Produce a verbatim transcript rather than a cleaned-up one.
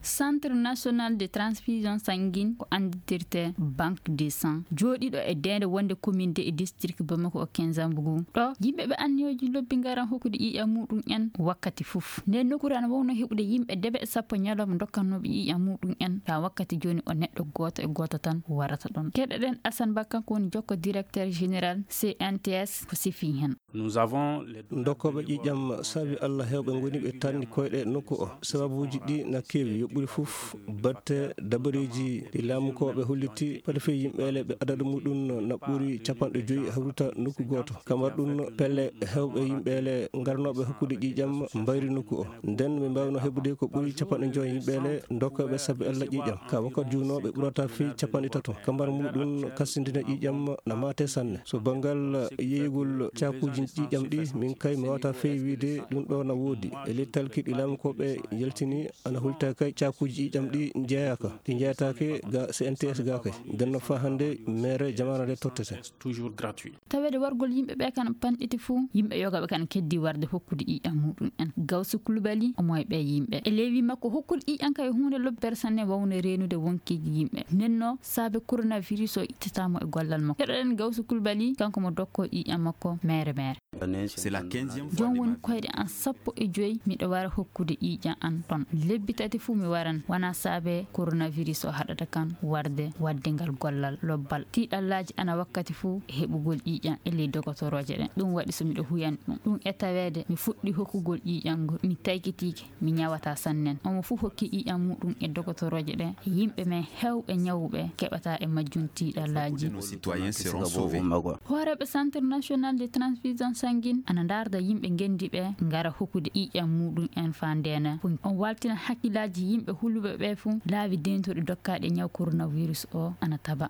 Centre National de Transfusion Sanguine, ko anndirtee Banque de Sang, jooɗiiɗo e deende wonde commune de e district Bamako o Kinzambougou. Ɗo yimɓe ɓe anniyooji lobbi ngaran hokkude ƴiiƴam muɗum en wakkati fof. Nden nokkuure ana wonno heɓude yimɓe debe e sappo ñalawma dokkannooɓe ƴiiƴam muɗum en. Ka wakkati jooni o neɗɗo gooto e gooto tan warata ɗon. Keɗoɗen Assane Ba, kanko woni jokko directeur général C N T S, ko sifi hen. Nous avons les dokkooɓe ƴiiƴam saabi Allah heewɓe ngoni ɓe tanni koyɗe nokku o. Sababuuji ɗi na keewi, yo ɓuri fof batte dabareeji ɗi laamukooɓe holliti, pade fii yimɓeele ɓe adadu muɗum na ɓuri capanɗe joyi hawruta nokku gooto. Kamar ɗum pelle heewɓe yimɓeele ngarnooɓe hokkude ƴiiƴam mbayri nokku o. Nden ɓe mbaawno heɓude ko ɓuri capanɗe joyi yimɓeele dokkooɓe saabi Allah ƴiiƴam. Ka wakkati juunoo ɓe ɓurata fii capanɗe tato. Kamar muɗum kasindina ƴiiƴam na maate sanne. So banngal yeeyugol caakuuji ƴiiƴam ɗi, min kay mi waawata fii wiide ɗum ɗo na woodi. E lettal kiɗi laamukooɓe yaltini ana hulta kay caakuuji ƴiiƴam ɗi njeeyaaka. Ɗi njeeyataake ga C N T S ga kay. Nden no faa hannde mere jamaana nde tottete. Toujours gratuit. Taweede wargol yimɓe ɓe kan panɗiti fuu, yimɓe yoga ɓe kan keddi warde hokkude ƴiiƴam muɗum en. Gawsu Kulubali omo e ɓe yimɓe. E leewi makko hokkude ƴiiƴam kay huunde lobbere sanne wawno reenude wonkiiji yimɓe. Nenno saabe coronavirus o ittataamo e gollal makko. Keɗoɗen Gawsu Kulubali, kanko mo dokko ƴiiƴam makko mere mere. C'est la quinzième fois. Jooni woni koyɗe an sappo e joyi miɗo wara hokkude ƴiiƴam an ɗon. Lebbi tati fuu mi waran, wona saabe coronavirus o haɗata kan warde wadde ngal gollal lobbal. Tiiɗallaaji ana wakkati fuu e heɓugol ƴiiƴam e ley dogotorooje ɗen. Ɗum waɗi so miɗo huyani ɗum. Ɗum e taweede mi fuɗɗi hokkugol ƴiiƴam ngol, mi taykitiike, mi ñawataa sannen. Omo fuu hokki ƴiiƴam muɗum e dogotorooje ɗen. Yimɓe men heewɓe ñawuɓe keɓata e majjum tiiɗallaaji. Nos citoyens seront sauvés. Hooreeɓe Centre National de Transfusion Sanguine ana ndaarda yimɓe ngenndi ɓe ngara hokkude ƴiiƴam muɗum en faa ndeena. On waaltina hakkillaaji yimɓe huluɓe ɓe fuu laawi deentuɗi dokkaaɗi e ñaw coronavirus o ana taba.